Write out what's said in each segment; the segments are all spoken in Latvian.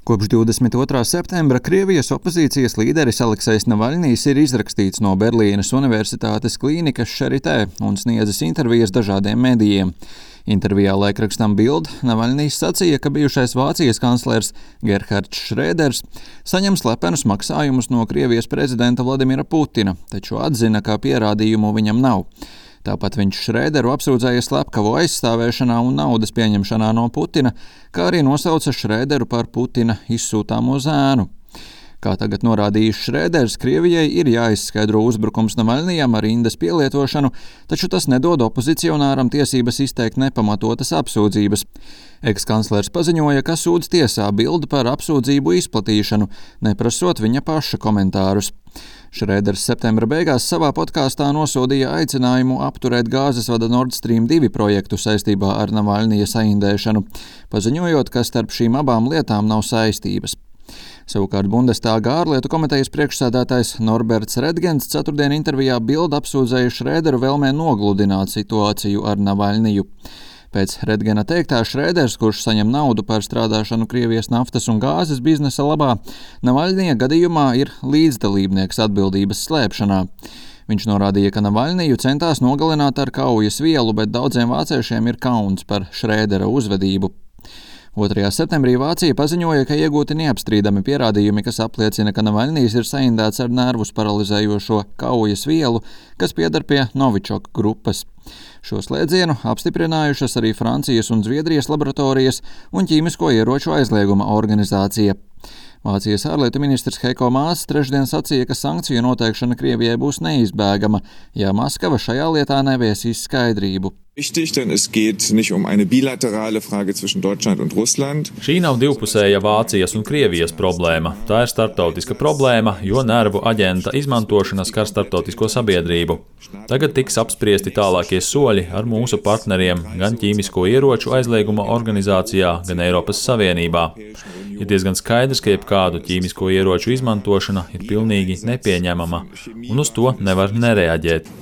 Kopš 22. septembra Krievijas opozīcijas līderis Aleksejs Navaļņijs ir izrakstīts no Berlīnes Universitātes klīnikas Charité un sniedzis intervijas dažādiem medijiem. Intervijā laikrakstam Bild Navaļņijs sacīja, ka bijušais Vācijas kanclers Gerhards Šrēders saņem slepenus maksājumus no Krievijas prezidenta Vladimira Putina, taču atzina, ka pierādījumu viņam nav. Tāpat viņš Šrēderu apsūdzēja slepkavu aizstāvēšanā un naudas pieņemšanā no Putina, kā arī nosauca Šrēderu par Putina izsūtāmo zēnu. Kā tagad norādījis Šrēders, Krievijai ir jāizskaidro uzbrukums Navaļņijam ar rindas pielietošanu, taču tas nedod opozicionāram tiesības izteikt nepamatotas apsūdzības. Ekskanclers paziņoja, ka sūdz tiesā Bild par apsūdzību izplatīšanu, neprasot viņa paša komentārus. Šrēders septembra beigās savā podkāstā nosodīja aicinājumu apturēt gāzes vada Nord Stream 2 projektu saistībā ar Navaļņija saindēšanu, paziņojot, ka starp šīm abām lietām nav saistības. Savukārt Bundestāga ārlietu komitejas priekšsēdētājs Norberts Redgens ceturtdien intervijā Bild apsūdzēja Šrēderu vēlmē nogludināt situāciju ar Navaļņiju. Pēc Redgena teiktā, Šrēders, kurš saņem naudu par strādāšanu Krievijas naftas un gāzes biznesa labā, Navaļņija gadījumā ir līdzdalībnieks atbildības slēpšanā. Viņš norādīja, ka Navaļņiju centās nogalināt ar kaujas vielu, bet daudziem vāciešiem ir kauns par Šrēdera uzvedību. 2. septembrī Vācija paziņoja, ka iegūti neapstrīdami pierādījumi, kas apliecina, ka Navaļņijs ir saindēts ar nervus paralizējošo kaujas vielu, kas pieder pie Novičok grupas. Šo slēdzienu apstiprinājušas arī Francijas un Zviedrijas laboratorijas un ķīmisko ieroču aizlieguma organizācija. Vācijas ārlietu ministrs Heiko Maas trešdien sacīja, ka sankciju noteikšana Krievijai būs neizbēgama, ja Maskava šajā lietā neviesīs skaidrību. Wichtig, denn es geht nicht eine bilaterale Frage zwischen Deutschland und Russland. Šī nav divpusēja Vācijas un Krievijas problēma. Tā ir starptautiska problēma, jo nervu aģenta izmantošana skar starptautisko sabiedrību. Tagad tiks apspriesti tālākie soļi ar mūsu partneriem gan ķīmisko ieroču aizlieguma organizācijā, gan Eiropas Savienībā. Ir diezgan skaidrs, ka jebkādu ķīmisko ieroču izmantošana ir pilnīgi nepieņemama, un uz to nevar nereaģēt.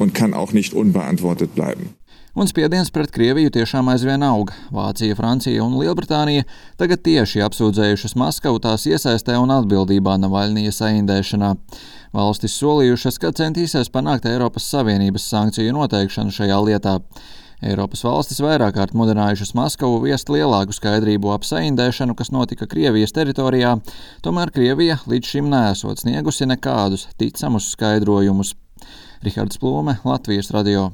Un spiediens pret Krieviju tiešām aizvien aug. Vācija, Francija un Lielbritānija tagad tieši apsūdzējušas Maskavu tās iesaistē un atbildībā Navaļņija saindēšanā. Valstis solījušas, ka centīsies panākt Eiropas Savienības sankciju noteikšanu šajā lietā. Eiropas valstis vairāk kārt mudinājušas Maskavu viest lielāku skaidrību ap saindēšanu, kas notika Krievijas teritorijā, tomēr Krievija līdz šim neesot sniegusi nekādus ticamus skaidrojumus. Rihards Plūme, Latvijas radio.